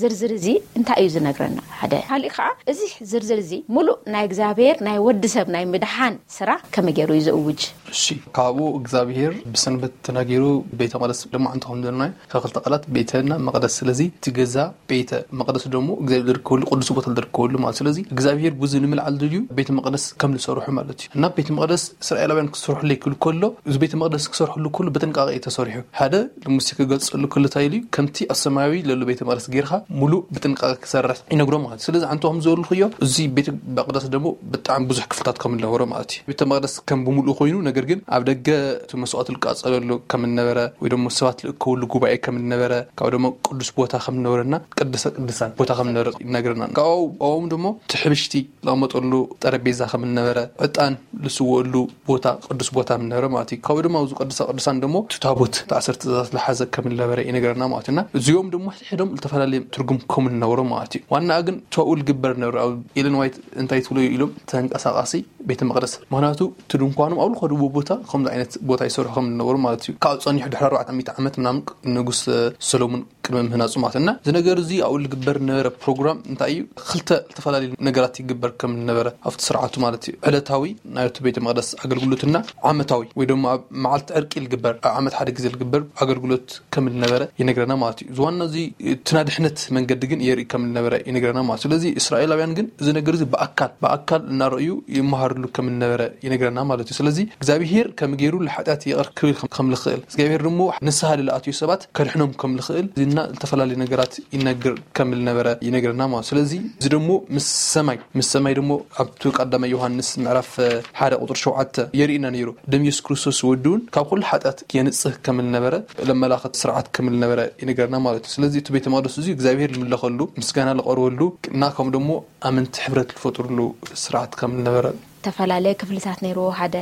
ዝርዝር እዚ እንታይ እዩ ዝነግረና? ሓደ። ካልእ ከዓ እዚ ዝርዝር እዚ ሙሉእ ናይ እግዚኣብሔር ናይ ወዲ ሰብ ናይ ምድሓን ስራሕ ከመይ ገይሩ እዩ ዝእውጅ? እሺ፣ ካብኡ እግዚኣብሔር ብሰንበት ተናጊሩ ቤተ መቕደስ ድማ እንተኾን ዘለና ከክልተ ቃላት ቤተና መቕደስ። ስለዚ እቲ ገዛ ቤተ መቕደስ ደሞ እግዚኣብሔር ዝርከበሉ ቅዱስ ቦታ ዝርከበሉ ማለት። ስለዚ እግዚኣብሔር ብዙ ንምልዓል ድልዩ ቤተ መቕደስ ከም ዝሰርሑ ማለት እዩ። እና ቤተ መቕደስ እስራኤላውያን ክሰርሑ ለይክሉ ከሎ፣ እዚ ቤተ መቕደስ ክሰርሕሉ ከሎ ብጥንቃቄ እዩ ተሰሪሑ። ሓደ ንሙሴ ክገልጸሉ ከሎ እንታይ ኢሉ እዩ? ከምቲ ኣብ ሰማያዊ ለሎ ቤተ መቕደስ ጌርካ ሙሉእ ብጥንቃቄ ክሰርሕ ይነግሮ ማለት። ስለዚ ኣንተ ከም ዝበልኩዮ እዚ ቤተ መቕደስ ደሞ ብጣዕሚ ብዙሕ ክፍልታት ከም ዝነበሮ ማለት እዩ። ቤተ መቕደስ ከም ብምሉኡ ኮይኑ፣ ነገር ግን ኣብ ደገ እቲ መስዋዕት ዝቃጸለሉ ከም ዝነበረ ወይ ደሞ ሰባት ዝእከብሉ ጉባኤ ከም ዝነበረ፣ ካብ ደሞ ቅዱስ ቦታ ከም ዝነበረና ቅድሰ ቅዱሳን ቦታ ከም ዝነበረ ይነግረና። ካብኡ ደሞ እቲ ሕብሽቲ ዝቐመጠሉ ጠረጴዛ ከም ዝነበረ፣ ዕጣን ዝስወሉ ቦታ ቅዱስ ቦታ ከም ዝነበረ ማለት እዩ። ካብኡ ድማ ኣብዚ ቅዱሳ ቅዱሳን ደሞ እቲ ታቦት እቲ ዓሰርተ ትእዛዛት ዝሓዘ ከም ዝነበረ ይነግረና ማለት እዩ። እና እዚኦም ደሞ ሕድሕዶም ዝተፈላለዩ ትርጉም ከም ዝነበሮ ማለት እዩ። ዋና ግን ተባኡ ዝግበር ነበረ። ኣብ ኤለን ዋይት እንታይ ትብሎ ኢሎም ተንቀሳቃሲ ቤተ መቕደስ። ምኽንያቱ እቲ ድንኳኖም ኣብ ዝኸድዎ ቦታ ከምዚ ዓይነት ቦታ ይሰርሑ ከም ዝነበሩ ማለት እዩ። ካብ ጸኒሑ ድሕሪ ኣርባዕተ ሚእቲ ዓመት ምናምን ንጉስ ሰሎሞን ቅድሚ ምህናጹ ማለት እና እዚ ነገር እዚ ኣብኡ ዝግበር ነበረ ፕሮግራም እንታይ እዩ? ክልተ ዝተፈላለዩ ነገራት ይግበር ከም ነበረ ኣብቲ ስርዓቱ ማለት እዩ። ዕለታዊ ናይቲ ቤተ መቕደስ ኣገልግሎትና ዓመታዊ ወይ ደሞ ኣብ መዓልቲ ዕርቂ ዝግበር፣ ኣብ ዓመት ሓደ ግዜ ዝግበር ኣገልግሎት ከም ዝነበረ ይነግረና ማለት እዩ። ዝዋና እዚ እቲ ናይ ድሕነት መንገዲ ግን የርኢ ከም ዝነበረ ይነግረና ማለት እዩ። ስለዚ እስራኤላውያን ግን እዚ ነገር እዚ ብኣካል ብኣካል እናረእዩ ይመሃርሉ ከም ዝነበረ ይነግረና ማለት እዩ። ስለዚ እግዚኣብሄር ከም ገይሩ ንሓጢኣት ይቕር ክብል ከም ዝኽእል እግዚኣብሄር ደሞ ንስሃ ልኣትዩ ሰባት ከድሕኖም ከም ዝኽእል ዝና ዝተፈላለዩ ነገራት ይነግር ከም ዝነበረ ይነግረና ማለት። ስለዚ እዚ ደሞ ምስ ሰማይ ምስ ሰማይ ደሞ ኣብቲ ቀዳማይ ዮሃንስ ምዕራፍ ሓደ ቁፅሪ ሸውዓተ የርእና ነይሩ። ደም የሱስ ክርስቶስ ወድውን ካብ ኩሉ ሓጢኣት የንጽህ ከም ዝነበረ ለመላኸት ስርዓት ከም ዝነበረ ይነግረና ማለት እዩ። ስለዚ እቲ ቤተ መቅደስ እዚ እግዚኣብሄር ዝምለኸሉ ምስጋና ዝቐርበሉ እና ከም ደሞ ኣመንቲ ሕብረት ዝፈጥርሉ ስርዓት ከም ዝነበረ። ዝተፈላለየ ክፍልታት ነይርዎ። ሓደ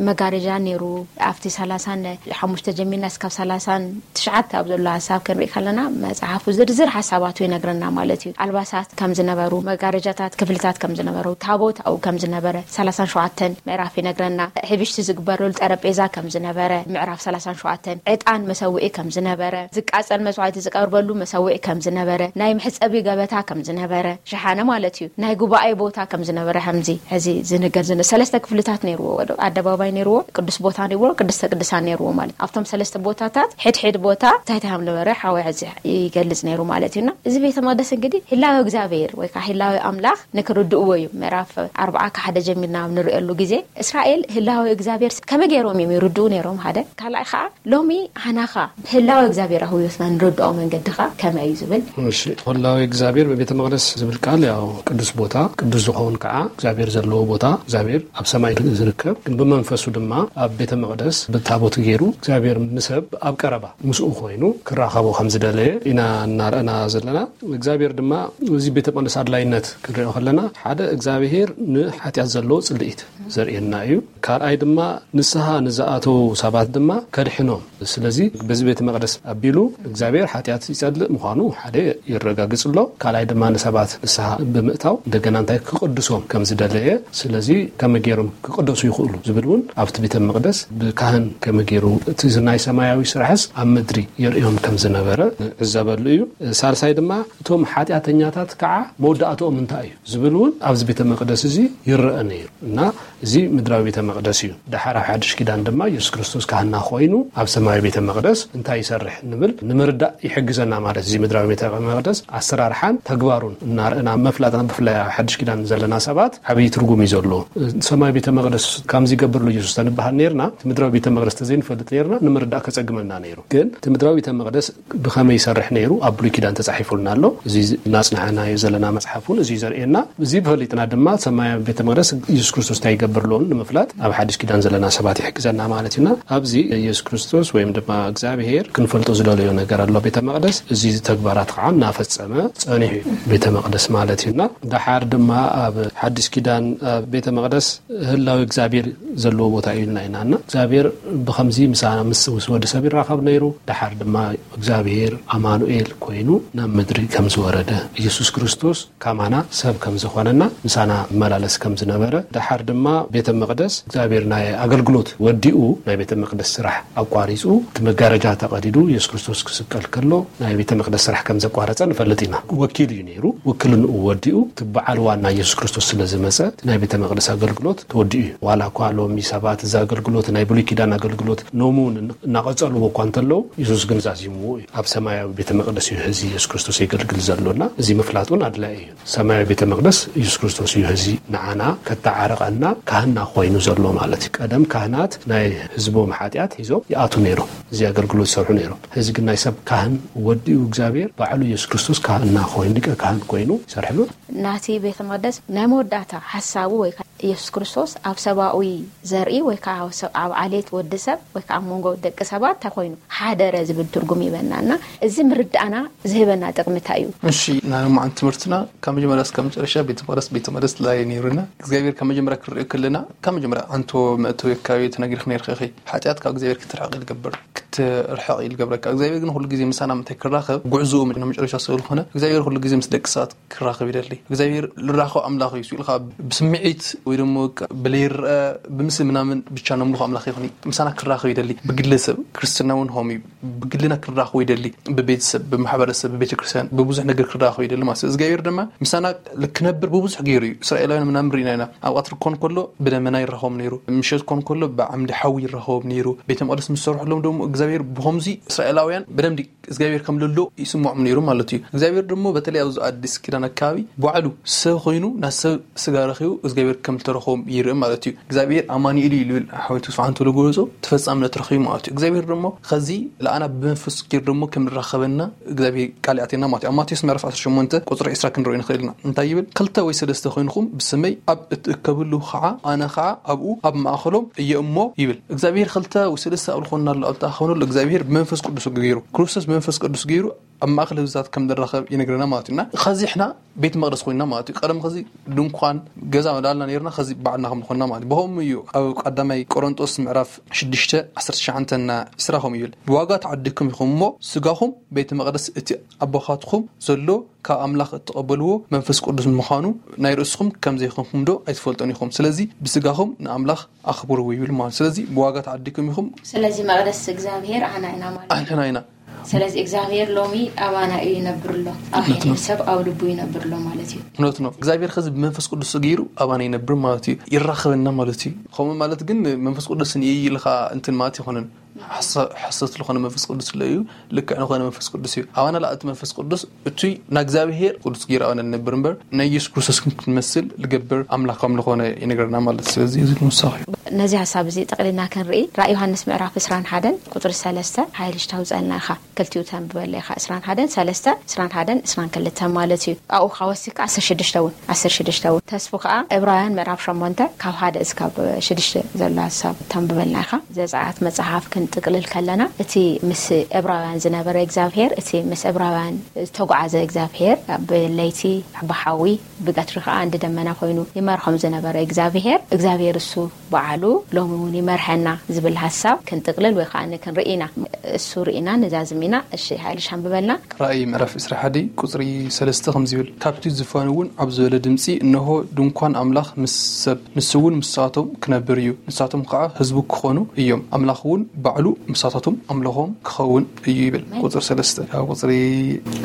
መጋረጃ ነይሩ። ኣብቲ ሰላሳን ሓሙሽተ ጀሚርና እስካብ ሰላሳን ትሽዓተ ኣብ ዘሎ ሓሳብ ክንርኢ ከለና መጽሓፉ ዝርዝር ሓሳባቱ ይነግረና ማለት እዩ። ኣልባሳት ከም ዝነበሩ፣ መጋረጃታት ክፍልታት ከም ዝነበሩ፣ ታቦት ኣብኡ ከም ዝነበረ ሰላሳን ሸውዓተን ምዕራፍ ይነግረና። ሕብሽቲ ዝግበረሉ ጠረጴዛ ከም ዝነበረ ምዕራፍ ሰላሳን ሸውዓተን፣ ዕጣን መሰውኢ ከም ዝነበረ፣ ዝቃጸል መስዋዕቲ ዝቀርበሉ መሰውኢ ከም ዝነበረ፣ ናይ መሕጸቢ ገበታ ከም ዝነበረ፣ ሸሓነ ማለት እዩ። ናይ ጉባኤ ቦታ ከም ዝነበረ ከምዚ ሕዚ ዝንገር ዝነ ሰለስተ ክፍልታት ነይርዎ። ወዶ ኣደባባይ ነይርዎ፣ ቅዱስ ቦታ ነይርዎ፣ ቅድስተ ቅዱሳን ነይርዎ ማለት ኣብቶም ሰለስተ ቦታታት ሕድሕድ ቦታ እንታይ እንታይ ከም ነበረ ሓወ ሕዚ ይገልጽ ነይሩ ማለት እዩና። እዚ ቤተ መቅደስ እንግዲህ ህላዊ እግዚኣብሔር ወይ ከዓ ህላዊ ኣምላኽ ንክርድእዎ እዩ። ምዕራፍ ኣርባዓ ካብ ሓደ ጀሚርና ኣብ ንርእየሉ ግዜ እስራኤል ህላዊ እግዚኣብሔር ከመይ ገይሮም እዮም ይርድኡ ነይሮም ሓደ። ካልኣይ ከዓ ሎሚ ኣናኻ ህላዊ እግዚኣብሔር ኣብ ህይወትና ንረድኦ መንገድኻ ከመይ እዩ ዝብል? እሺ፣ ህላዊ እግዚኣብሔር በቤተ መቅደስ ዝብል ቃል ያው ቅዱስ ቦታ፣ ቅዱስ ዝኸውን ከዓ እግዚኣብሔር ዘለዎ ቦታ፣ እግዚኣብሔር ኣብ ሰማይ ዝርከብ ግን ብመንፈሱ ድማ ኣብ ቤተ መቅደስ ብታቦት ገይሩ እግዚኣብሔር ንሰብ ኣብ ቀረባ ምስኡ ኮይኑ ክራኸቦ ከም ዝደለየ ኢና እናረእና ዘለና። እግዚኣብሔር ድማ እዚ ቤተ መቅደስ ኣድላይነት ክንሪኦ ከለና ሓደ እግዚኣብሔር ንሓጢኣት ዘለዎ ጽልኢት ዘርእየና እዩ። ካልኣይ ድማ ንስሓ ንዝኣተዉ ሰባት ድማ ከድሕኖም። ስለዚ በዚ ቤተ መቅደስ ኣቢሉ እግዚኣብሔር ሓጢኣት ይጸልእ ምዃኑ ሓደ የረጋግጽ ኣሎ። ካልኣይ ድማ ንሰባት ንስሓ ብምእታው እንደገና እንታይ ክቕድሶም ከም ዝደለየ። ስለዚ ከመይ ገይሮም ክቅደሱ ይኽእሉ ዝብል እውን ኣብቲ ቤተ መቅደስ ብካህን ከመይ ገይሩ እቲ ናይ ሰማያዊ ስራሕስ ኣብ ምድሪ የርእዮም ከም ዝነበረ ዕዘበሉ እዩ። ሳልሳይ ድማ እቶም ሓጢኣተኛታት ከዓ መወዳእትኦም እንታይ እዩ ዝብል እውን ኣብዚ ቤተ መቅደስ እዚ ይረአ ነይሩ እና እዚ ምድራዊ ቤተ መቅደስ እዩ። ደሓር ኣብ ሓድሽ ኪዳን ድማ ኢየሱስ ክርስቶስ ካህና ኮይኑ ኣብ ሰማያዊ ቤተ መቅደስ እንታይ ይሰርሕ ንብል ንምርዳእ ይሕግዘና ማለት እዚ ምድራዊ ቤተ መቅደስ ኣሰራርሓን ተግባሩን እናርአና መፍላጥና ብፍላይ ኣብ ሓድሽ ኪዳን ዘለና ሰባት ዓብዪ ትርጉም እዩ ዘሎ። ሰማያዊ ቤተ መቅደስ ከምዚ ይገብር ኣሎ ኢየሱስ ተንበሃል ነርና እቲ ምድራዊ ቤተ መቅደስ ተዘይንፈልጥ ነርና ንምርዳእ ከጸግመና ነይሩ። ግን እቲ ምድራዊ ቤተ መቅደስ ብኸመይ ይሰርሕ ነይሩ ኣብ ብሉይ ኪዳን ተጻሒፉልና ኣሎ። እዚ እናጽናሕናዮ ዘለና መጽሓፍ እውን እዚ እዩ ዘርእየና። እዚ ፈሊጥና ድማ ሰማያዊ ቤተ መቅደስ ኢየሱስ ክርስቶስ እንታይ ይገብር ኣለውን ንምፍላጥ ኣብ ሓድሽ ኪዳን ዘለና ሰባት ይሕግዘና ማለት እዩና። ኣብዚ ኢየሱስ ክርስቶስ ወይም ድማ እግዚኣብሔር ክንፈልጦ ዝደለዮ ነገር ኣሎ። ቤተ መቅደስ እዚ ተግባራት ከዓ እናፈጸመ ጸኒሑ እዩ ቤተ መቅደስ ማለት እዩና። ደሓር ድማ ኣብ ሓድሽ ኪዳን ኣብ ቤተ መቅደስ ህላዊ እግዚኣብሔር ዘለዎ ቦታ እዩ ኢልና ኢና እና እግዚኣብሔር ብኸምዚ ምሳና ምስ ምስ ወዲ ሰብ ይራኸብ ነይሩ። ደሓር ድማ እግዚኣብሔር ኣማኑኤል ኮይኑ ናብ ምድሪ ከም ዝወረደ ኢየሱስ ክርስቶስ ካማና ሰብ ከም ዝኾነና ምሳና መላለስ ከም ዝነበረ ደሓር ድማ ቤተ መቅደስ እግዚኣብሔር ናይ ኣገልግሎት ወዲኡ ናይ ቤተ መቅደስ ስራሕ ኣቋሪፁ እቲ መጋረጃ ተቐዲዱ ኢየሱስ ክርስቶስ ክስቀል ከሎ ናይ ቤተ መቅደስ ስራሕ ከም ዘቋረፀ ንፈልጥ ኢና። ወኪል እዩ ነይሩ። ውክልንኡ ወዲኡ እቲ በዓል ዋና ኢየሱስ ክርስቶስ ስለ ዝመፀ ናይ ቤተ መቅደስ ኣገልግሎት ተወዲኡ እዩ። ዋላ እኳ ሎሚ ሰባት እዚ ኣገልግሎት ናይ ብሉይ ኪዳን ኣገልግሎት ኖሙ እውን እናቐፀልዎ እኳ እንተለዉ ኢየሱስ ግን ዛዚምዎ እዩ። ኣብ ሰማያዊ ቤተ መቅደስ እዩ ሕዚ ኢየሱስ ክርስቶስ የገልግል ዘሎና። እዚ ምፍላጥ እውን ኣድላይ እዩ። ሰማያዊ ቤተ መቅደስ ኢየሱስ ክርስቶስ እዩ ሕዚ ንዓና ከተዓረቐና ካህና ኮይኑ ዘሎ ማለት እዩ። ቀደም ካህናት ናይ ህዝቦም ሓጢኣት ሒዞም ይኣቱ ነይሮም፣ እዚ ኣገልግሎት ይሰርሑ ነይሮም። ሕዚ ግን ናይ ሰብ ካህን ወዲኡ እግዚኣብሔር ባዕሉ ኢየሱስ ክርስቶስ ካህና ኮይኑ ሊቀ ካህን ኮይኑ ይሰርሕሉ። ናቲ ቤተ መቅደስ ናይ መወዳእታ ሓሳቡ ወይ ኢየሱስ ክርስቶስ ኣብ ሰብኣዊ ዘርኢ ወይ ከዓ ኣብ ዓሌት ወዲ ሰብ ወይ ከዓ ኣብ መንጎ ደቂ ሰባት እንታይ ኮይኑ ሓደረ ዝብል ትርጉም ይበና እና እዚ ምርዳእና ዝህበና ጥቕሚ እንታይ እዩ? እሺ፣ ናይ ሎማዓንቲ ትምህርትና ካብ መጀመርያ እስካብ መጨረሻ ቤተ መቅደስ ቤተ መቅደስ ላይ ነይሩና እግዚኣብሔር ካብ መጀመርያ ክንሪኦ ከለና ካብ መጀመርያ ኣንቶ መእተዊ ኣካባቢ ተነጊርክ ነይርክ ኢኺ። ሓጢኣት ካብ እግዚኣብሔር ክትርሕቕ ይገብር ክትርሕቕ ይገብረካ። እግዚኣብሔር ግን ኩሉ ግዜ ምሳና ምንታይ ክራኸብ ጉዕዝኡ ናብ መጨረሻ ስለ ዝኾነ እግዚኣብሔር ኩሉ ግዜ ምስ ደቂ ሰባት ክራኸብ ይደሊ። እግዚኣብሔር ልራኸብ ኣምላኽ እዩ ኢልካ ብስምዒት ወይ ደሞ ብለይረአ ብምስሊ ምናምን ብቻ ነምልኾ ኣምላኽ ይኹን ምሳና ክራኸብ ይደሊ። ብግለሰብ ክርስትና እውን ሆም እዩ ብግልና ክራኸቡ ይደሊ። ብቤተሰብ ብማሕበረሰብ ብቤተክርስትያን ብብዙሕ ነገር ክራኸቡ ይደሊ ማለት እግዚኣብሔር ድማ ምሳና ክነብር ብብዙሕ ገይሩ እዩ። እስራኤላውያን ምናምን ርኢና ኢና። ኣብ ቀትሪ ክኾን ከሎ ብደመና ይራኸቦም ነይሩ። ምሸት ክኾን ከሎ ብዓምዲ ሓዊ ይራኸቦም ነይሩ። ቤተ መቅደስ ምስ ሰርሕሎም ደግሞ እግዚኣብሔር ብኸምዚ እስራኤላውያን ብደምዲ እግዚኣብሔር ከም ለሎ ይስምዖም ነይሩ ማለት እዩ። እግዚኣብሔር ደሞ በተለይ ኣብዚ ኣዲስ ኪዳን ኣካባቢ ባዕሉ ሰብ ኮይኑ ናብ ሰብ ስጋ ረኺቡ እግዚኣብሔር ከም ዝተረኸቦም ይርኢ ማለት እዩ። እግዚኣብሔር ኣማኑኤል እዩ ልብል ሓወይቱ ስብሓን ተሎ ገለጾ ተፈጻምነት ረኺቡ ማለት እዩ። እግዚኣብሔር ደሞ ኸዚ ለኣና ብመንፈስ ኪር ደሞ ከም ንራኸበና እግዚኣብሔር ቃል ያዕቴና ማለት እዩ። ኣብ ማቴዎስ ምዕራፍ ዓሰርተ ሸሞንተ ቁፅሪ ዕስራ ክንሪኦ ንኽእል ኢና። እንታይ ይብል? ክልተ ወይ ሰለስተ ኮይንኹም ብስመይ ኣብ እትእከብሉ ኸዓ ኣነ ኸዓ ኣብኡ ኣብ ማእኸሎም እየ እሞ ይብል። እግዚኣብሔር ክልተ ወይ ሰለስተ ኣብ ዝኾንናሉ ኣብ ተኣኸብነሉ እግዚኣብሔር ብመንፈስ ቅዱስ ገይሩ ክርስቶስ ብመንፈስ ቅዱስ ገይሩ ኣብ ማእኸል ህዝብታት ከም ንራኸብ ይነግረና ማለት እዩ። እና ኸዚ ሕና ቤት መቅደስ ኮይንና ማለት እዩ። ቀደም ኸዚ ድንኳን ገዛ መዳልና ነይርና ኸዚ ባዕልና ከም ዝኾንና ማለት እዩ። ብኸምኡ እዩ ኣብ ቀዳማይ ቆሮንጦስ ምዕራፍ ሽዱሽተ ዓሰርተ ትሽዓተ እና ዕስራ ከምኡ ይብል። ብዋጋ ተዓዲግኩም ኢኹም እሞ ስጋኹም ቤተ መቅደስ እቲ ኣቦኻትኩም ዘሎ ካብ ኣምላኽ እትቐበልዎ መንፈስ ቅዱስ ምዃኑ ናይ ርእስኹም ከም ዘይኮንኩም ዶ ኣይትፈልጡን ኢኹም? ስለዚ ብስጋኹም ንኣምላኽ ኣኽብርዎ ይብል ማለት። ስለዚ ብዋጋ ተዓዲግኩም ኢኹም። ስለዚ መቕደስ እግዚኣብሔር ኣና ኢና ማለት እዩ። ኣንሕና ኢና። ስለዚ እግዚኣብሔር ሎሚ ኣባና እዩ ይነብር ኣሎ። ኣብ ሕድሪ ሰብ ኣብ ልቡ ይነብር ኣሎ ማለት እዩ። እውነት ነው። እግዚኣብሔር ኸዚ ብመንፈስ ቅዱስ ገይሩ ኣባና ይነብር ማለት እዩ። ይራኸበና ማለት እዩ። ከምኡ ማለት ግን መንፈስ ቅዱስ ንእይ ኢልካ እንትን ማለት ይኾንን። ሓሰት ዝኾነ መንፈስ ቅዱስ ስለ እዩ። ልክዕ ንኾነ መንፈስ ቅዱስ እዩ። ኣባና ለኣቲ መንፈስ ቅዱስ እቱይ ናእግዚኣብሄር ቅዱስ ገይሩ ኣባና ንነብር እምበር ናይ ኢየሱስ ክርስቶስ ክንመስል ልገብር ኣምላኽ ከም ዝኾነ ይነግረና ማለት። ስለዚ እዚ ንውሳኺ እዩ። ነዚ ሓሳብ እዚ ጠቕሊልና ክንርኢ ራእይ ዮሃንስ ምዕራፍ ዕስራን ሓደን ቁፅሪ ሰለስተ ሓይልሽ ታውፀልና ኢኻ። ክልቲኡ ተንብበለ ኢኻ ዕስራን ሓደን ሰለስተ ዕስራን ሓደን ዕስራን ክልተን ማለት እዩ። ኣብኡ ከዓ ወሲካ ዓሰርተ ሽዱሽተ እውን ዓሰርተ ሽዱሽተ እውን ተስፉ ከዓ ዕብራውያን ምዕራፍ ሸሞንተ ካብ ሓደ እስካብ ሽዱሽተ ዘሎ ሓሳብ ተንብበልና ኢኻ። ዘፀኣት መፅሓፍ ክንጥቅልል ከለና እቲ ምስ ዕብራውያን ዝነበረ እግዚኣብሄር እቲ ምስ ዕብራውያን ዝተጓዓዘ እግዚኣብሄር ብለይቲ ብሓዊ ብቀትሪ ከዓ እንዲ ደመና ኮይኑ ይመርሖም ዝነበረ እግዚኣብሄር እግዚኣብሄር እሱ በዓሉ ሉ ሎሚ እውን ይመርሐና ዝብል ሓሳብ ክንጥቕልል ወይ ከዓ ክንርኢ ኢና። እሱ ርኢና ንዛዝም ኢና። እሺ፣ ሓይልሽ ኣንብበልና። ራእይ ምዕራፍ ዕስራ ሓደ ቁፅሪ ሰለስተ ከምዚ ይብል፣ ካብቲ ዝፋን እውን ዓብ ዝበለ ድምፂ፣ እንሆ ድንኳን ኣምላኽ ምስ ሰብ፣ ንሱ እውን ምሳቶም ክነብር እዩ፣ ንሳቶም ከዓ ህዝቡ ክኾኑ እዮም፣ ኣምላኽ እውን ባዕሉ ምሳታቶም ኣምልኾም ክኸውን እዩ ይብል። ቁፅሪ ሰለስተ ካብ ቁፅሪ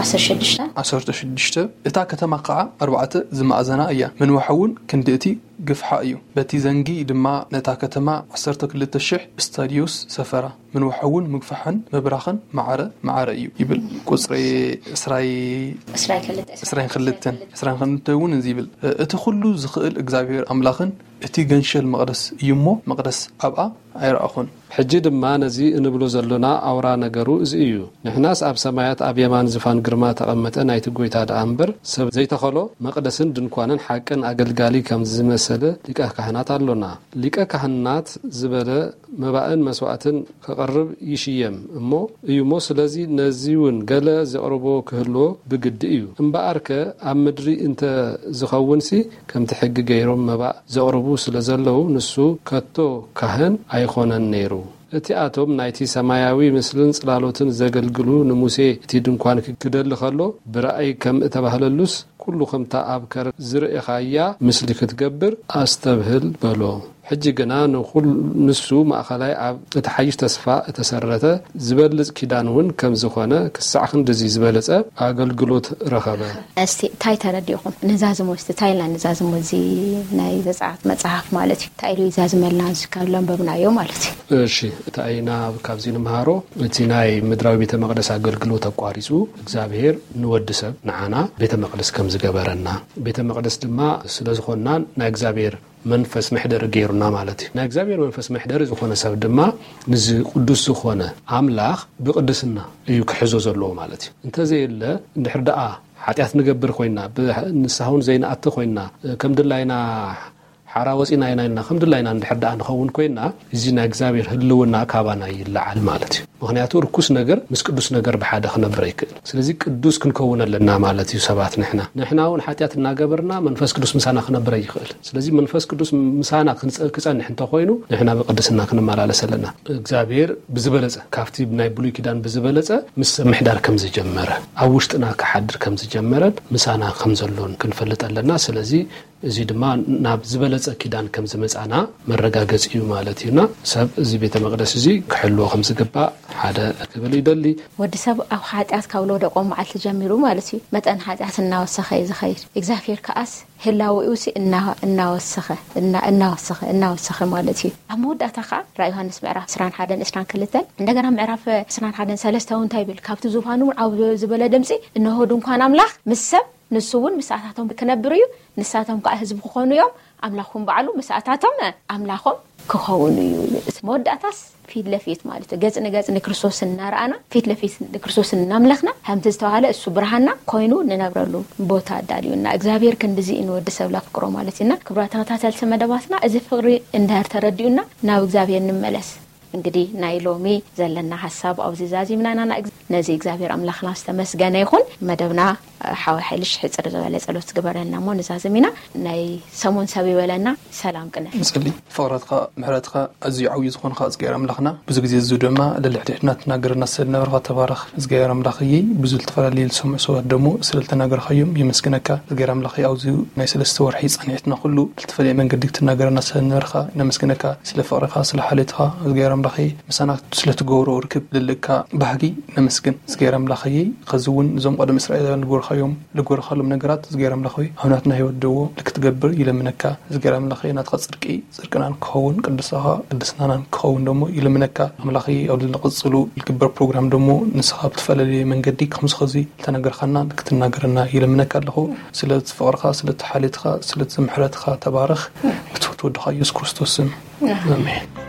ዓሰርተ ሽዱሽተ። ዓሰርተ ሽዱሽተ። እታ ከተማ ከዓ ኣርባዕተ ዝማእዘና እያ፣ ምንዋሕ እውን ክንዲ እቲ ግፍሓ እዩ። በቲ ዘንጊ ድማ ነታ ከተማ ዓሰርተ ክልተ ሽሕ ስታድዮስ ሰፈራ፣ ምንዋሕ እውን ምግፋሕን ምብራኽን ማዕረ ማዕረ እዩ ይብል። ቁፅሪ ዕስራይ ዕስራን ክልተ። ዕስራን ክልተን። ዕስራን ክልተ እውን እዚ ይብል፣ እቲ ኩሉ ዝኽእል እግዚኣብሔር ኣምላኽን እቲ ገንሸል መቕደስ እዩ እሞ፣ መቕደስ ኣብኣ ኣይረኣኹን። ሕጂ ድማ ነዚ እንብሎ ዘሎና ኣውራ ነገሩ እዚ እዩ። ንሕናስ ኣብ ሰማያት ኣብ የማን ዝፋን ግርማ ተቐመጠ ናይቲ ጐይታ ደኣ እምበር፣ ሰብ ዘይተኸሎ መቕደስን ድንኳንን ሓቅን ኣገልጋሊ ከም ዝመሰለ ሊቀ ካህናት ኣሎና። ሊቀ ካህናት ዝበለ መባእን መስዋእትን ከቐርብ ይሽየም እሞ እዩ እሞ፣ ስለዚ ነዚ እውን ገለ ዘቕርቦ ክህልዎ ብግዲ እዩ። እምበኣርከ ኣብ ምድሪ እንተ ዝኸውንሲ፣ ከምቲ ሕጊ ገይሮም መባእ ዘቕርቡ ስለ ዘለዉ፣ ንሱ ከቶ ካህን ኣይኾነን ነይሩ። እቲኣቶም ናይቲ ሰማያዊ ምስልን ጽላሎትን ዘገልግሉ፣ ንሙሴ እቲ ድንኳን ክደሊ ኸሎ ብራእይ ከም እተባህለሉስ፣ ኩሉ ከምታ ኣብ ከረን ዝርእኻያ ምስሊ ክትገብር ኣስተብህል በሎ። ሕጂ ግና ንኹል-፣ ንሱ ማእኸላይ ኣብ እቲ ሓይሽ ተስፋ እተሰረተ ዝበልጽ ኪዳን እውን ከም ዝኾነ ክሳዕ ክንድዚ ዝበለጸ ኣገልግሎት ረኸበ። እስቲ እንታይ ተረዲእኹም? ንዛዝሞ እስቲ፣ እንታይ ኢልና ንዛዝሞ? እዚ ናይ ዘጸኣት መጽሓፍ ማለት እዩ። እንታይ ኢሉ ይዛዝመልና? እዚ ካብ ለንበብናዮ ማለት እዩ። እሺ፣ እንታይ ኢና ካብዚ ንምሃሮ? እቲ ናይ ምድራዊ ቤተ መቕደስ ኣገልግሎት ኣቋሪጹ፣ እግዚኣብሔር ንወዲ ሰብ፣ ንዓና፣ ቤተ መቕደስ ከም ዝገበረና፣ ቤተ መቕደስ ድማ ስለ ዝኾንና ናይ እግዚኣብሔር መንፈስ መሕደሪ ገይሩና ማለት እዩ። ናይ እግዚኣብሔር መንፈስ መሕደሪ ዝኾነ ሰብ ድማ ንዚ ቅዱስ ዝኾነ ኣምላኽ ብቅድስና እዩ ክሕዞ ዘለዎ ማለት እዩ። እንተዘየለ፣ እንድሕር ደኣ ሓጢኣት ንገብር ኮይና፣ ብ-፣ ንስሓ እውን ዘይንኣቲ ኮይና፣ ከም ድላይና ሓራ ወፂና ኢና ኢልና፣ ከም ድላይና እንድሕር ደኣ ንኸውን ኮይና፣ እዚ ናይ እግዚኣብሔር ህልውና ካባና ይለዓል ማለት እዩ። ምኽንያቱ ርኩስ ነገር ምስ ቅዱስ ነገር ብሓደ ክነብር ኣይክእል። ስለዚ ቅዱስ ክንከውን ኣለና ማለት እዩ ሰባት ንሕና። ንሕና እውን ሓጢኣት እናገበርና መንፈስ ቅዱስ ምሳና ክነብር ኣይኽእል። ስለዚ መንፈስ ቅዱስ ምሳና ክንጸ-፣ ክጸንሕ እንተኾይኑ፣ ንሕና ብቅድስና ክንመላለስ ኣለና። እግዚኣብሔር ብዝበለጸ፣ ካብቲ ናይ ብሉይ ኪዳን ብዝበለጸ ምስ ሰብ ምሕዳር ከም ዝጀመረ፣ ኣብ ውሽጥና ክሓድር ከም ዝጀመረን ምሳና ከም ዘሎን ክንፈልጥ ኣለና። ስለዚ እዚ ድማ ናብ ዝበለጸ ኪዳን ከም ዝመጻና መረጋገጺ እዩ ማለት እዩና፣ ሰብ እዚ ቤተ መቕደስ እዚ ክሕልዎ ከም ዝግባእ ሓደ ክብል ይደሊ። ወዲ ሰብ ኣብ ሓጢኣት ካብ ዝወደቆ መዓልቲ ጀሚሩ ማለት እዩ፣ መጠን ሓጢኣት እናወሰኸ እዩ ዝኸይድ። እግዚኣብሔር ከኣስ ህላዌኡሲ እና-፣ እናወሰኸ፣ እና-፣ እናወሰኸ፣ እናወሰኸ ማለት እዩ። ኣብ መወዳእታ ከዓ ራእይ ዮሃንስ ምዕራፍ ዕስራን ሓደን ዕስራን ክልተን፣ እንደገና ምዕራፍ ዕስራን ሓደን ሰለስተ እውን እንታይ ይብል? ካብቲ ዙፋን እውን ዓው ዝበለ ድምፂ፣ "እንሆ ድንኳን ኣምላኽ ምስ ሰብ፣ ንሱ እውን ምሳታቶም ክነብር እዩ፣ ንሳቶም ከዓ ህዝቢ ክኾኑ እዮም፣ ኣምላኽ እውን ባዕሉ ምሳታቶም ኣምላኾም ክኸውን እዩ" ይብል። መወዳእታስ ፊት ለፊት ማለት እዩ። ገጽ ንገጽ ንክርስቶስ እናረኣና፣ ፊት ለፊት ንክርስቶስ እናምለኽና፣ ከምቲ ዝተባህለ እሱ ብርሃንና ኮይኑ ንነብረሉ ቦታ ኣዳልዩና። እግዚኣብሔር ክንድዚ እዩ ንወዲ ሰብ ለፍቅሮ ማለት እዩና። ክቡራት ተኸታተልቲ መደባትና፣ እዚ ፍቅሪ እንድሕር ተረዲኡና፣ ናብ እግዚኣብሔር ንመለስ። እንግዲህ ናይ ሎሚ ዘለና ሓሳብ ኣብዚ ዛዚምና ኢና። ንእግ-፣ ነዚ እግዚኣብሔር ኣምላኽና ዝተመስገነ ይኹን። መደብና፣ ሓወ ሓይልሽ ሕጽር ዝበለ ጸሎት ግበረልና እሞ ንዛዝም ኢና። ናይ ሰሙን ሰብ ይበለና። ሰላም ቅነ። ንጸሊ። ፍቕረትኻ፣ ምሕረትኻ ኣዝዩ ዓብዩ ዝኾንካ እግዚኣብሔር ኣምላኽና፣ ብዙ ግዜ እዚ ድማ ልልሕድሕድና ትናገረና ስለ ዝነበርካ ተባረኽ። እግዚኣብሔር ኣምላኽ እየይ፣ ብዙ ዝተፈላለዩ ዝሰምዑ ሰባት ደሞ ስለ ዝተናገርካዮም የመስግነካ። እግዚኣብሔር ኣምላኽ ኣብዚ ናይ ሰለስተ ወርሒ ጻንሒትና ኩሉ ብልተፈለየ መንገዲ ክትናገረና ስለ ዝነበርካ ነመስግነካ። ስለ ፍቕርኻ፣ ስለ ሓልዮትኻ እግዚኣብሔር ኣምላኽ እየይ፣ ምሳና ስለ ትገብሮ ርክብ ልልእካ ባህጊ ነመስግን። እግዚኣብሔር ኣምላኽ እየይ፣ ኸዚ እውን እዞም ቀደም እስራኤላውያን ዝገበርካዮም፣ ዝገበርካሎም ነገራት እግዚኣብሔር ኣምላኽ ሆይ፣ ኣብ ናትና ህይወት ደዎ ልክትገብር ይለምነካ። እግዚኣብሔር ኣምላኽ እየይ፣ ናትኻ ጽድቂ ጽድቅናን ክኸውን፣ ቅድስኻ ቅድስናናን ክኸውን ደሞ ይልምነካ። ኣምላኽ ኣብ ዝቕጽሉ ዝግበር ፕሮግራም ደሞ ንስኻ ብዝተፈላለየ መንገዲ ከምዚ ኸዚ ዝተነገርካና ክትናገረና ይልምነካ ኣለኹ። ስለቲ ፍቕርኻ፣ ስለቲ ሓልዮትኻ፣ ስለቲ ምሕረትኻ ተባረኽ። ብትውት ወድኻ ኢየሱስ ክርስቶስ ስም። ኣሜን።